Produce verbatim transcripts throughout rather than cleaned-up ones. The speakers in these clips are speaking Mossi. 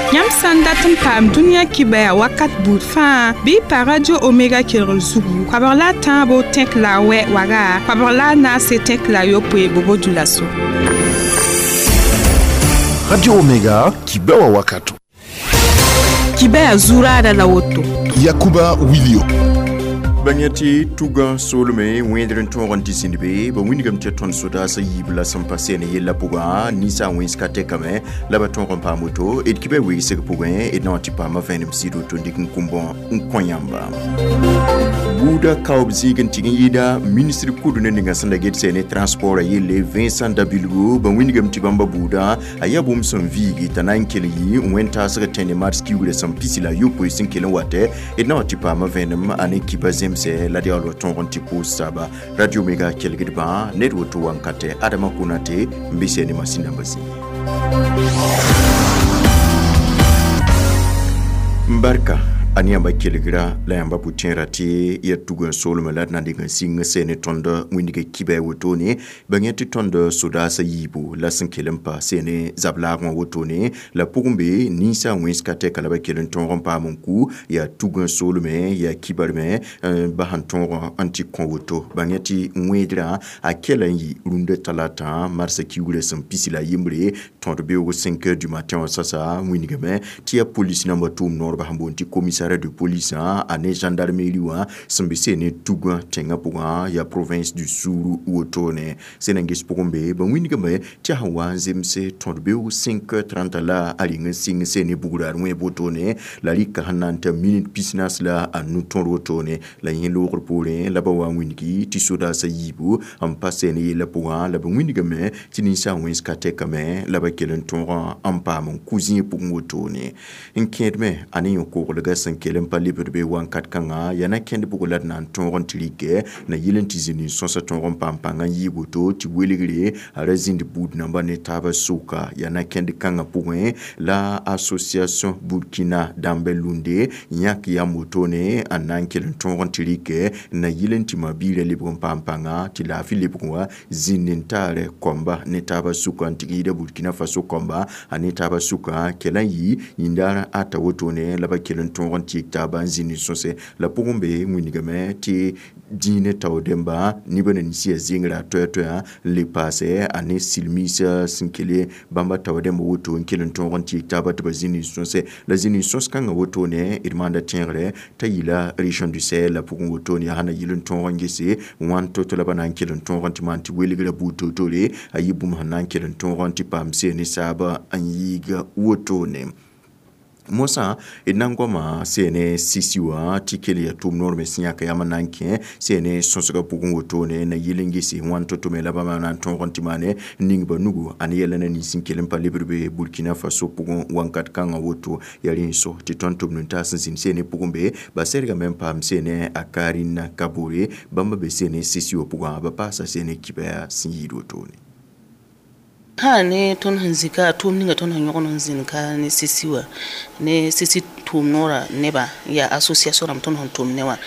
Yãmb sã n dat n paam dũniyã kibaya wakat buud fãa bɩ y pa Radio Omega kelgr zugu koabg la a tãabo tẽk la a wɛ waga koabg la a naase tẽk la a yopoe bobo dulaso. Radio Omega kibewa wakato. Kibaya zuraada la woto. Yakuba Wilio. Bãng tɩ tugã soolme wẽedr n tõog n tɩ zĩnd be ba wĩndgame tɩ tõnd sodaasã yiib la sẽn pa seen yellã pʋgã ninsaag wẽns ka tɛkame la ba tõog n paam woto d kibã wegsg pʋgẽ d na wã tɩ paama vẽenem sɩd woto n dɩk n kũmbõ n kõ yãmba buuda kaoob zĩig n tɩg n yɩɩda ministre kud ne ninga sẽn da get sɛ ne transport a yelle Vincent Dabilgo ba wĩndgame tɩ bãmba buudã a yaa bũmb sẽn viigi t'a na n kell yɩ wẽn-taasg tẽne mars kiugrã sẽn pisi la a yopoe sẽn kell n watɛ d na wã tɩ paama vẽenem a ne kiba zemsɛ la d yaool wa tõog n tɩ pʋʋs taaba Radio Omega kelgdbã ned woto wankatɛ Adama Konate n be sɛ ne masin dãmbã zĩig barka a ne yãmba kelgra la yãmba pʋ-tẽera tɩ ya tug n soolmẽ la d na n dɩk n sɩng sɛ ne tõnd wĩndg kibɛ wotone bãng tɩ tõnd sodaasã yiibu la sẽn kell n pa sɛ ne zab-laagẽ wã wotone la pʋgẽ be ninsaag wẽns ka tɛka la ba kell n tõog n paam n ku yaa tug n soolmẽ yaa kibarmẽ ba sẽn tõog n tɩ kõ woto bãng tɩ wẽedrã a kɛla n yɩ rũndã talata marsã kiugrã sẽn pisi la a yembre tõd beoog cinq heures du matin wã sasa wĩndgame tɩ yaa police namba tʋʋm noorba sẽn boond tɩ commissariat de police a ne gendarmerie wã sẽn be sɛ ne tugã tẽngã pʋgã yaa province du Sourou wotone sẽn na n ges pʋgẽ be ba wĩndgame tɩ a sẽn wa n zemse tõd beoog cinq heures trente la a reng n sɩng sɛ ne bugraar wẽeb wotone la rɩka sẽn na n ta minute pisnaas la a nu tõr wotone la yẽ loogr poorẽ la ba wa n wĩndgi tɩ sodaasã yiibu n pa sɛ ne yellã pʋgã la ba wĩndgame tɩ ninsaag wẽns ka tɛkame la ba kell n tõog n paam n ku zĩig pʋgẽ wotone n kẽedme a ne yõ-koglgã sẽn kell n pa lebd be wakat kãngã yaa na kẽnd pʋgẽ la d na n tõog n tɩ rɩkɛ na yɩl n tɩ zĩnd n sõsa tõog n paam pãng n yɩɩg woto tɩ welgre a ra zĩnd buud namba ne taabã sʋka yaa na kẽnd kãngã pʋgẽ la association Burkina dãmb lunde yãk yam wotone n na n kell n tõog n tɩ rɩkɛ na yɩl n tɩ ma-biirã lebg n paam pãnga tɩ laafɩ lebg wã zĩnd n taarɛ kõmba ne taabã sʋka n tɩg yɩɩda Burkina Faso kõmba a ne taabã sʋka kɛla n yɩ yĩndaar ata wotone la ba kell n tõog n tɩ taaba n zĩnd n sõse la pʋgẽ be wĩndgame tɩ dĩinã tao dẽmba nebã na nins yaa zengrã toɛ-toɛã n le paasɛ a ne silmiisã sẽn kele bãmba tao dẽmba woto n kell n tõog n tɩ taaba tɩ ba zĩnd n sõse la zĩnd n sõs kãngã wotone d maanda tẽegre t'a yɩla région du Sahel la pʋgẽ wotone yaa sã na yɩl n tõog n gese wãn to-to la ba na n kell n tõog n tɩ maan tɩ welgrã buud toor-toore a yɩ bũmb sẽn na n kell n tõog n tɩ paam seen ne saaba n yɩɩg wotone mosã d na n goama sene sisi wã tɩ kell yaa tʋʋm noor me sẽn yãk yam n na n kẽ sene sõsgã pʋgẽ wotone na yɩl n gese wãn to-to me la bãmba na n tõog n tɩ maane n ning ba nugu a ne yɛla na nins n kell n pa lebd be Burkina Faso pʋgẽ wakat kãngã woto yaa rẽ n so tɩ tõnd tʋm nin-taas n zĩnd sene pʋgẽ be ba sɛrgame n paam sene a Karine Kabore bãmba be sene sisi wã pʋgã ba paasa sene kibaya sẽn yɩɩd wotone. Ha ne tõnd sẽn zĩ ka tʋʋm ninga tõnd sẽn yõgd n zĩnd ka ne sisi wã ne sisi tʋʋm noorã nebã yaa association rãmb tõnd sẽn tʋm ne wã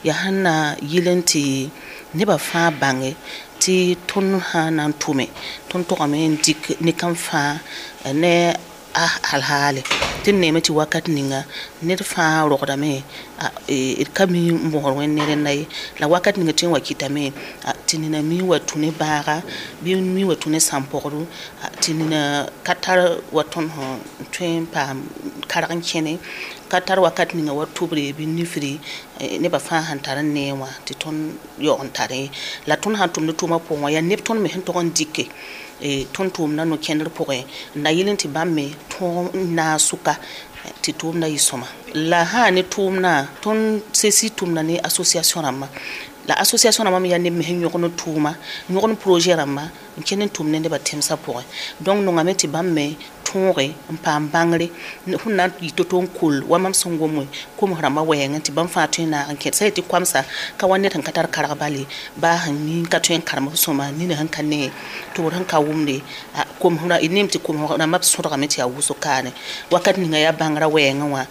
yaa sẽn na yɩl n tɩ nebã fãa bãnge tɩ tõnd sã na n tʋme tõnd togame n dɩk ne-kãn fãa ne a hal-haale tɩ d neeme tɩ wakat ninga ned fãa rogdame d ka mi n bõsd wẽnd ne rẽnda ye la wakat ninga tɩ n wa kɩtame tɩ nina mi wa tũ ne baaga bɩ mi wa tũ ne sãn-pɔgdo tɩ nina ka tar wa tõnd sẽn tõe n paam karg n kẽne ka tar wakat ninga wa tʋbre bɩ nifri nebã fãa sẽn tar n nee wã tɩ tõnd yaoog n tare la tõnd sãn tʋmd tʋʋmã pʋgẽ wã yaa neb tõnd me sẽn tog n dɩke tõnd tʋʋmdã no-kẽndr pʋgẽ n na yɩl n tɩ bãmb me tõog n naag sʋka tɩ tʋʋmdã yɩ sõma la sã ne tʋʋmdã tõnd sesi tʋmda ne association rãmbã la association rãmbã me yaa neb me sẽn yõgd n tʋʋma yõgd n projet rãmba n kẽnd n tʋm ne nebã tẽmsã pʋgẽ donc nongame tɩ bãmb me tõoge n paam bãngre sẽn na n yɩ to-to n kol wa mam sẽn gom koms rãmbã wɛɛngẽ tɩ bãmb fãa tõe n naag n kẽd sã yetɩ koamsa ka wa ned sẽn ka tar karg bale baa sẽn mi ka tõe n karem f sõma nina sẽn ka ne tʋbr sẽn ka wʋmde koms neem tɩ koms rãmbã b sõdgame tɩ yaa wʋsg kaane wakat ninga yaa bãngrã wɛɛngẽ wã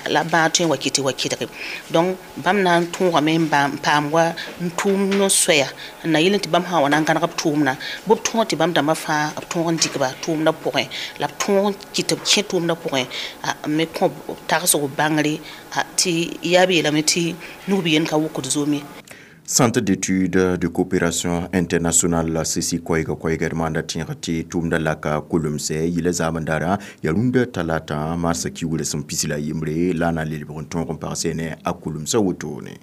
la bãag tõe n wa kɩ tɩ wa kɩdge donc bãmb na n tõogame n paam wa n tʋʋm no-soɛya n na yɩl n tɩ bãmb sã n wa na n gãneg b tʋʋmdã bɩ b tõog tɩ bãmb dãmbã fãa b tõog n dɩk ba tʋʋmdã pʋgẽ la b tõog tõog n kɩ tɩ b kẽ tʋʋmdã pʋgẽ n me kõ tagsg bãngre tɩ yaa b yeelame tɩ nug b yend ka wokd zoom ye. Centre d'études de coopération internationale la C E C I koɛɛga koɛɛga d maanda tẽeg tɩ tʋʋmda laka kolmsɛ yɩla zaamendara yaa rũndã talata marsã kiugrã sẽn pis la yembre la a na n le lebg n tõog n pagsɛ ne a kolmsã wotone.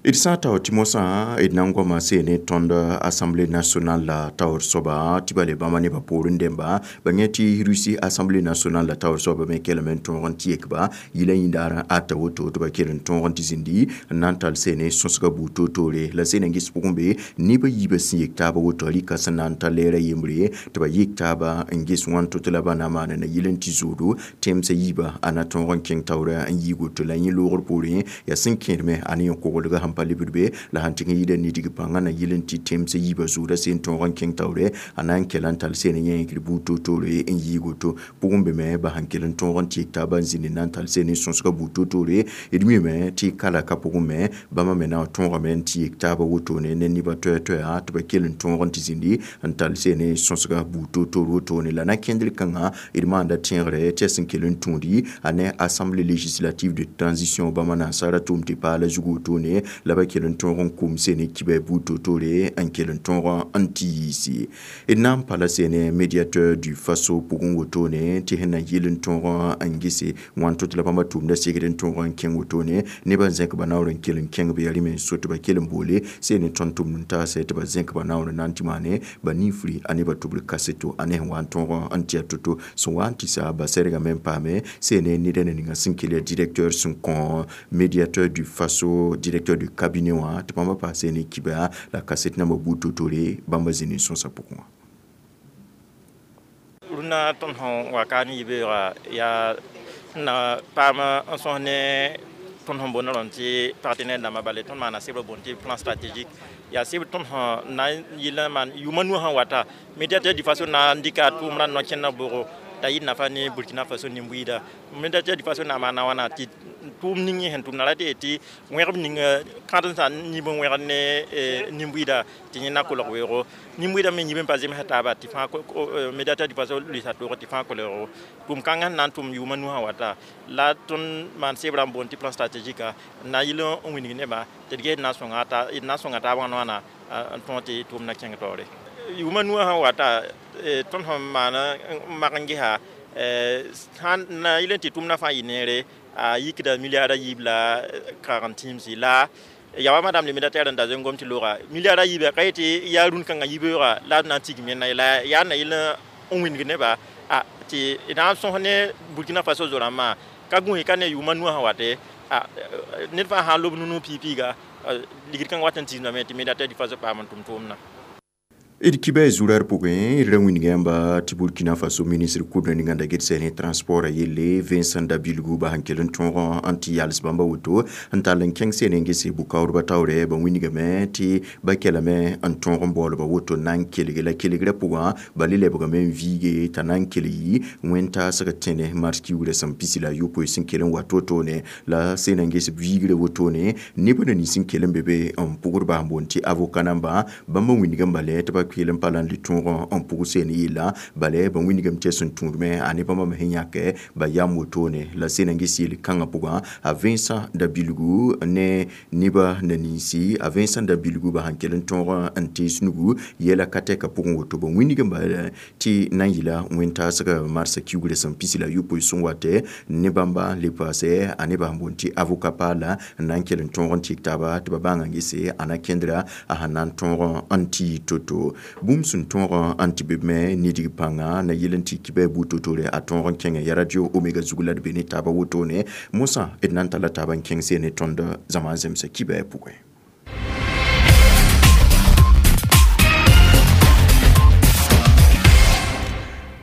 D sã n taoor tɩ mosã d na n goama seene tõnd Assemblée nationale la taoor soaba tɩ ba le bãmba nebã poorẽ dẽmba ba yẽ tɩ Russie Assemblée nationale la taoor soaba me kelme n tõog n tɩ yekba yɩla yĩndaar ata woto tɩ ba kell n tõog n tɩ zĩndi n na n tall seene sõsga buud toor-toore la seene n ges pʋgẽ be neb a yiibã sẽn yek taaba woto rɩka sẽn na n ta lɛɛra yembre tɩ ba yek taaba n ges wãn to tɩ la ba na maana na yɩl n tɩ zoodo tẽmsã yiibã a na tõog n kẽng taoora n yiig woto la yẽ loogr poorẽ yaa sẽn kẽedme a ne yẽ koglga sẽn pa lebd be la sãn tɩg n yɩɩda nidg pãngã na yɩl n tɩ tẽmsã yiibã zʋʋda seen tõog n kẽng taoore a na n kɛla n tall seen yẽegr buud toor-toore n yiig woto pʋgẽ be me ba sãn kell n tõog n tɩ yek taaba n zĩnd n na n tall seen n sõsga buud toor-toore d mime tɩ kala ka pʋgẽ me bãmba me na n tõogame n tɩ yek taaba wotone ne nebã toɛ-toɛa tɩ ba kell n tõog n tɩ zĩndi n tall seen sõsga buud toor-toor wotone la na kẽndr kãngã d maanda tẽegre tɩ a sẽn kell n tũudi a ne Assemblée législative de transition bãmba nansara tʋʋm tɩ paala zug wotone la ba kell n tõog n kum sene kibɛ buud toor-toore n kell n tõog n tɩ yiisi d na n pa la sene médiateur du Faso pʋgẽ wotone tɩ sẽn na yɩl n tõog n gese wãn to tɩ la bãmba tʋʋmda segd n tõog n kẽng wotone nebã n zẽk ba naoor n kell n kẽng b yaa rɩme n so tɩ ba kell n boole sene tõnd tʋmd n taasɛ tɩ ba zẽk ba naoor n na n tɩ maane ba ninfri a nebã tʋbr kaseto a ne sẽn wa n tõog n tɩ a to-to sẽn wa n tɩ sa ba sɛrgame n paame sene neda na ninga sẽn kell yaa directeur sẽn kõ médiateur du Faso, directeur du cabinet wã tɩ bãmba paas ne kiba la kaset nambã buud toor-toore bãmba zĩnd n sõsa pʋgẽ wã. Rũnã tõnd sẽn wa ka ne yibeoogã yaa sẽn na paam n sõs ne tõnd sẽn boond rãmb tɩ partenaire dãmbã bale tõnd maana sebr boond tɩ plan stratégique yaa sebr tõnd sẽn na n yɩl n maan yʋʋma nu sẽn wata médiateur du Faso na n dɩka tʋʋmdã no-kẽndã bʋgo t'a yɩ nafa ne Burkina Faso nin-buiida médiateur du Faso na maana wãna tɩ tʋʋm ning yẽ sẽn tʋmda ra tɩ tɩ wẽgb ning kãdensã yĩb n wẽgd ne nin-buiida tɩ yẽ na kolg weoogo nin-buiidã me yĩb n pa zemsa taaba tɩ fãa médiateur du Faso lʋɩsa toog tɩ fãa kolgo tʋʋm kãngã sẽn na n tʋm yʋʋma nu sã wata la tõnd maan sebrã n boond tɩ plan stratégique n na n yɩl n wilg nebã tɩ d ges d na n sõnga taab wãn wãna n tõog tɩ tʋʋmdã kẽng taoore yʋʋma nu sã wata tõnd sẽn maan n mak n gesa sãn na yɩl n tɩ tʋʋmdã fãa yɩ neere a yikda milliard a yiib la kagem tĩimsi la ya wa madame le médiateur n da zoe n gom tɩ looga milliard a yiiba ka yetɩ yaa rũn-kãngã yibeoogã la d na n tigim yẽnda ye la yaa na yɩl n wĩndg nebã a tɩ na n sõs ne Burkina Faso zo-rãmbã ka gũus ka ne yʋʋma nu sã wate ned fãa sã n lob nu piig-piiga ligd kãngã wat n tiisdame tɩ médiateur du Faso paam n tʋm tʋʋmdã. D kibɛ zurar pʋgẽ d ra wĩnga yãmba tɩ Burkina Faso ministr kʋdã ninga n da ged ne transport a yelle Vincent Dabilgu ba sẽn kell n tõog n tɩ yals bãmba woto n tall n kẽng sene n gese bʋ-kaoodbã taoorɛ ba wĩngame tɩ ba kɛlame n tõog n baoolba woto na n kelge la kelgrã pʋgã ba le lebgame n viige t'a na n kell yɩ wẽn-taasg tẽne mars kiugrã sẽn pisi la a yopoe sẽn kell n wa to-toone la sena n ges viigrã wotone neb na nins sẽn kell n be be n pʋgd ba sẽn boond tɩ avocat namba bãmba wĩngame bala tɩ ba kell n pa la n le tõog n pʋg seen yella bala ba wĩngame tɩ sẽn tũudme a ne bãmba me sẽn yãke ba yam wotone la sena n ges yel kãngã pʋgã a Vincent Dabilgu ne nebã na ninsi a Vincent Dabilgu ba sãn kell n tõog n tees nugu yɛla ka tɛka pʋgẽ woto ba wĩngame bala tɩ na n yɩla wẽn-taasg marsã kiugrã sẽn pisi la a yopoe sẽn watɛ ne bãmba le paasɛ a nebã sẽn boond tɩ avocat paala n na n kell n tõog n tɩk taaba tɩ ba bãnga n gese a na kẽndra a sẽn na n tõog n tɩ to-to bũmb sẽn tõog n tɩ be me nidg pãnga na yɩl n tɩ kibɛ buud to-toore a tõog n kẽngẽ ya radio Omega zug la d be ne taaba wotone mosã d na n talla taaba n kẽng seen ne tõnd zãma n zemsa kibɛ pʋgẽ.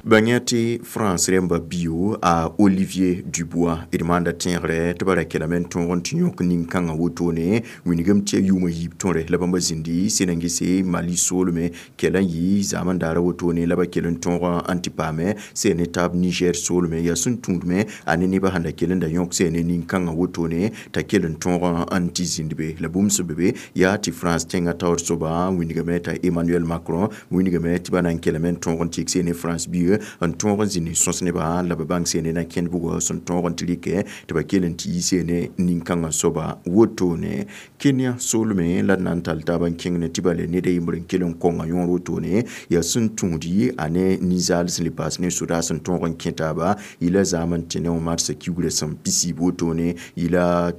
Bãngã tɩ France rẽmba bio a Olivier Dubois d maanda tẽegre tɩ ba ra kelame n tõog n tɩ yõk nin-kãngã wotone wilgame tɩ ya yʋʋmã yiib tõre la bãmba zĩndi sẽn-gese Mali soolme kell n yɩ zaam n daara wotone la ba kell n tõog n tɩ paame sẽn ne taab Niger soolme yaa sẽn tũudme a ne nebã sẽn da kell n da yõk sẽn ne nin-kãngã wotone t'a kell n tõog n tɩ zĩnd be la bũmb sẽn be be yaa tɩ France tẽngã taoor soaba wilgame t'a Emmanuel Macron wilgame tɩ ba na n kelame n tõog n tɩ sẽn ne France bio n tõog n zĩnd sõs nebã la ba bãng sẽne na kẽnd bugɔ sẽn tõog n tɩ rɩkɛ tɩ ba kell n tɩ yi sẽne nin-kãngã soaba wotone Kenya soolme la d na n tall taab n kẽng ne tɩ ba le ned a yembr n kell n kõnga yõor wotone yaa sẽn tũud a ne ninsaal sẽn le paas ne sodaas sẽn tõog n kẽ taaba yɩla zaam n tɩ ne wã marsã kiugrã sẽn pisiib wotone yɩla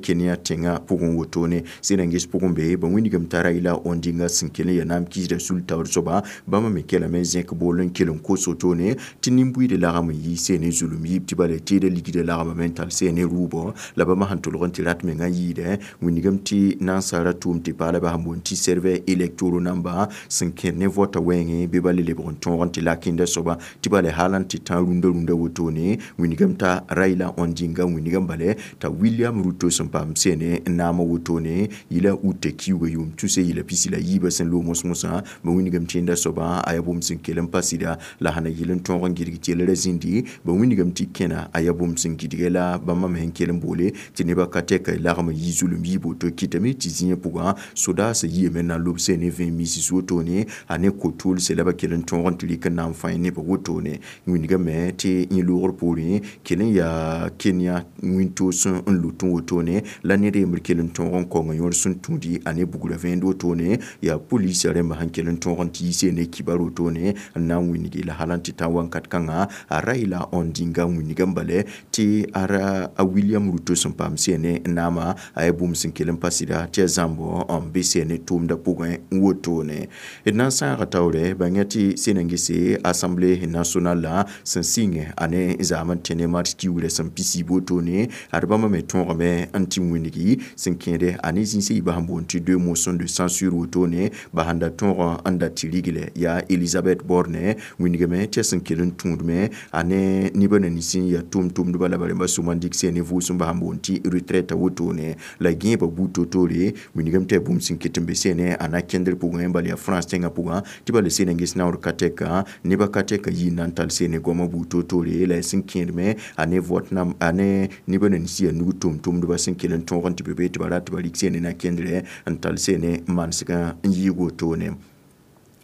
Kenya tẽngã pʋgẽ wotone sẽn n ges pʋgẽ be ba wĩndgame t'a Raila Odinga sẽn kell n yaa naam kiisdã sul taoor soaba bãmba me kelame zẽk bool n kell n kos wotone tɩ nin-buiidã lagm n yi sẽn ne zulum yiib tɩ bala teeda ligdã lagmame n tall sẽn ne rʋʋbɔ la bãmba sẽn tʋlg n tɩ rat mengã yɩɩdɛ wĩndgame tɩ nansaara tʋʋm tɩ paala sẽn boond tɩ serveur électoraux namba sẽn kẽd ne vɔta wɛɛngẽ bɩ ba le lebg n tõog n tɩ lakẽnda soaba tɩ bala hal n tɩ tã rũndã rũndã wotone wĩndgame t'a Raila Odinga wĩndgame bala t'a William Ruto sẽn paam sẽne naamã wotone yɩla uta kiuugã yʋʋm tuse yɩla pisi la yiibã sẽn loog mos-mosã ba wĩndgame tẽnda soaba a yaa bũmb sẽn kell n pa sɩda la sãn na yɩl n tõog n gɩdg tɩ yɛla ra zĩndi ba wĩndgame tɩ kẽna a yaa bũmb sẽn gɩdgɛ la bãmba me sẽn kell n boole tɩ nebã ka tɛka lagm n yi zulum yiib woto kɩtame tɩ zĩyã pʋgã sodaasã yiame na n lob sẽn ne vẽe misis wotone a ne ko-toolse la ba kell n tõog n tɩ rɩk n na n fãe nebã wotone wĩndgame tɩ yẽ loogr poorẽ kell n yaa Kenya wĩntoos n lut n wotone la ned yembr kell n tõog n kaonga yõor sẽn tũudi a ne bugrã vẽend wotone yaa polisã rẽmba sẽn kell n tõog n tɩ yi sẽn ne kibar wotone n na n wĩndge la hal n tɩ tã wãnkat kãngã a Raila Odinga wĩndgame bala tɩ a ra a William Ruto sẽn paam sẽn ne naamã a yaa bũmb sẽn kell n pa sɩda tɩ yaa zãmbɔ n be sẽn ne tʋʋmdã pʋgẽ wotone d na n sãaga taoore bãng tɩ sẽn n gese Assemblée nationale la sẽn sɩngẽ a ne zaam n tẽ ne mars kiugrã sẽn pisiib wotone ad bãmba me tõogame n tɩ wĩndgi sẽn kẽede a ne zĩnsã yiibã sẽn boond tɩ deux motions de censure wotone ba sẽn da tõog n da tɩ rigle yaa Elisabeth Borne wĩndgame tɩ yaa sẽn kell n tũudme a ne nebã na nins n yaa tʋm-tʋmdba la ba rẽmba sʋma n dɩk sẽn ne vʋʋsem ba sẽn boond tɩ retraite wotone la gẽeba buud toor-toore wĩndgame tɩ yaa bũmb sẽn ket n be sẽne a na kẽndr pʋgẽ bala yaa France tẽngã pʋgã tɩ bala sẽn n ges naoor ka tɛka nebã ka tɛka yɩ n na n tall sẽne goamã buud toor-toore la yaa sẽn kẽedme a ne vote nam a ne nebã na nins yaa nug tʋm-tʋmdba sẽn kell n tõog n tɩ be be tɩ ba rat tɩ ba rɩk sẽne na kẽndrɛ n tall sẽne manesgã n yɩɩg wotone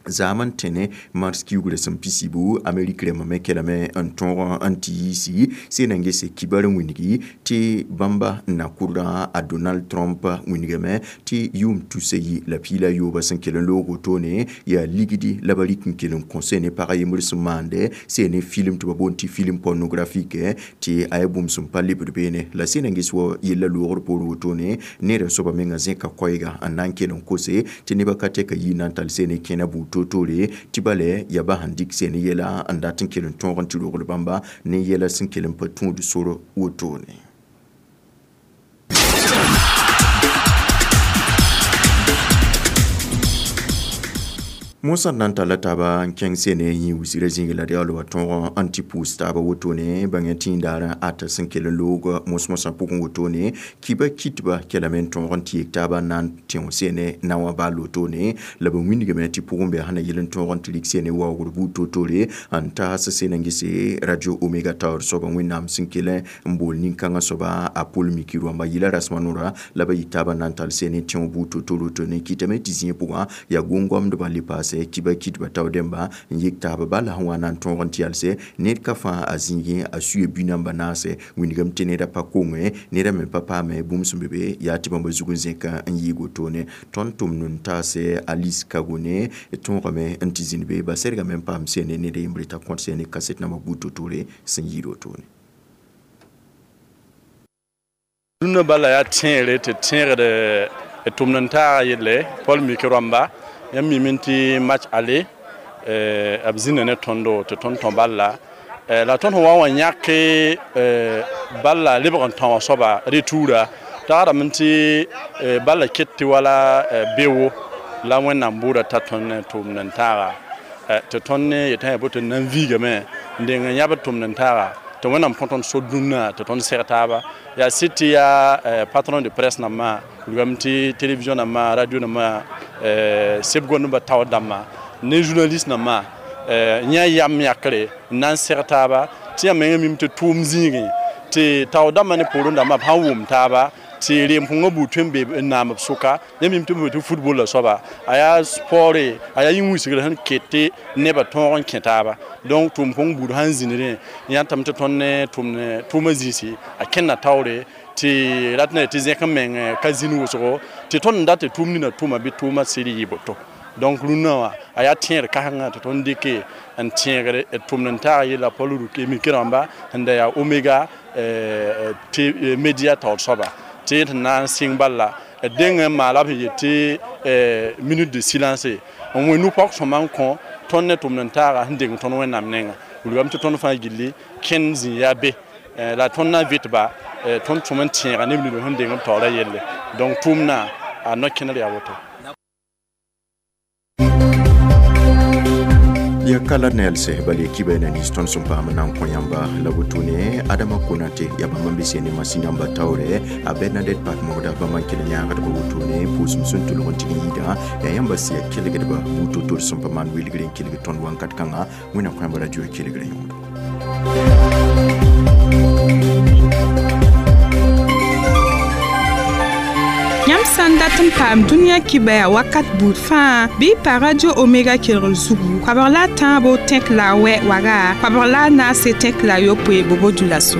zaam n tẽne mars kiugrã sẽn pisibu Amerik rẽmbã me kelame n tõog n tɩ yiisi sẽn na n gese kibar n wĩndgi tɩ bãmba n na kʋrdã a Donald Trump wĩndgame tɩ yʋʋm tusa yi la piila yoobã sẽn kell n loog wotone yaa ligdi la ba rɩk n kell n kõ sẽn ne pag a yembr sẽn maande sẽn ne film tɩ ba boond tɩ film pornographique tɩ a yaa bũmb sẽn pa lebd beene la sẽn na n ges wa yella loogr poor wotone neerã soaba menga zẽka koɛɛga n na n kell n kose tɩ nebã ka tɛka yɩ na n tall sẽn ne kẽna buud toor-toore tɩ bala yaa ba sẽn dɩk sẽn yɛla n dat n kell n tõog n tɩ rogl bãmba ne yɛla sẽn kell n pa tũud sor wotone. Mosã n na n talla taaba n kẽng sene yĩ wusrã zĩig la d yaool wa tõog n tɩ pʋʋs taaba wotone bãng tĩidaarã ata sẽn kell n loog mos-mosã pʋgẽ wotone kiba kitba kelame n tõog n tɩ yek taaba n na n tẽo sene na wã baal wotone la ba wĩndgame tɩ pʋgẽ bɩ sẽn na yɩl n tõog n tɩ rɩk sene waoogr buud toor-toore n taas sẽn n gese Radio Omega taoor soaba wẽnnaam sẽn kell n bool nin-kãngã soaba a Paul Miki rõamba yɩla rasmã noora la ba yɩ taaba n na n tall sene tẽo buud toor-toor wotone kɩtame tɩ zĩig pʋgã yaa gom-goamdbã le paase kiba kitba tao dẽmba n yik taaba bala sẽn wa na n tõog n tɩ yalse ned ka fãa a zĩigẽ a suya bi-namba naase wĩndgame tɩ neda pa konge neda me pa paame bũmb sẽn be be yaa tɩ bãmba zug n zẽka n yɩɩg wotone tõnd tʋmd n taase Alice Kagone tõogame n tɩ zĩnd be ba sɛdgame n paam sẽne ned yembre t'a kõt sẽne kaset namba buud toor-toore sẽn yɩɩd wotone. Rũndã bala yaa tẽegre tɩ tẽegd tʋmd n taaga yelle Paul Miki rõamba yãmb mime tɩ match aller b zĩnda ne tõndo tɩ tõnd tõ balla la tõnd sẽn wa wã yãke balla lebg n tão wã soaba retoura tagsdame tɩ balla ket tɩ wala beoogo la wẽnnaam bʋʋda t'a tõnd tʋʋmd n taaga Tɩ tõnd ne yetã yaa boto n na n viigame n deng n yãbd tʋmd n taaga tɩ Wẽnnaam kõ tõnd so dũnna tɩ tõnd seg taaba yaa sɩd tɩ yaa patron de presse nambã wilgame tɩ télévision nambã radio nambã seb gondba taoor dãmbã ne journaliste nambã yã yam yakre n na n seg taaba tɩ yã menga mim tɩ tʋʋm zĩigẽ tɩ taoor dãmbã ne poorẽ dãmbã b sãn wʋm taaba tɩ reem kõngã buud tõe n be n naam b sʋka yã mim tɩ b tɩ football la soaba a yaa sport a yaa yĩn-wilsgr sẽn ket tɩ nebã tõog n kẽ taaba donc tʋʋm kõng buud sãn zĩnd yãtame tɩ tõnd ne tʋmd tʋʋmã zĩisi a kẽnda taoore tɩ rat na tɩ zẽk n meng ka zĩnd wʋsgo tɩ tõnd n dat tɩ tʋʋm nina tʋʋma bɩ tʋʋmã sɩd yɩ boto donc rũnnã wã a yaa tẽed kãsengã tɩ tõnd dɩke n tẽegr tʋmd n taag yella Paul Miki rãmba sẽn da yaa Omega média taoor soaba tɩ tɩ na n sɩng bala deng n maala b sẽn yet tɩ minute de silence n wẽ nu-pɔg sõma n kõ tõnd ne tʋmd n taaga sẽn deng tõnd Wẽnnaam nengã wilgame tɩ tõnd fãa gilli kẽnd zĩ yaa be la tõnd na n vɩtba tõnd tʋm n tẽega neb nins sẽn deng b taoorã yelle donc tʋʋmdã a no-kẽner yaa woto. Ya kala nelse bali kiba na ni stone sum pa nan ko yamba la butune Adama Konate ya bamba bise ne masina ba tawre a Bernadette Pat moda ba man kele nya ga butune pusum sun tulon tigi yida ya yamba siya kele ga ba buto tor sum pa man wilgren kele ton wan kat kanga wina ko yamba radio kele ga yondo. Yãmb sã n dat n paam dũniyã kibɛa wakat buud fãa bɩ y pa Radio Omega kelgr zugu koabg la a tãabo tẽk la a wɛ waga koabg la a naase tẽk la a yopoe bobo dula so.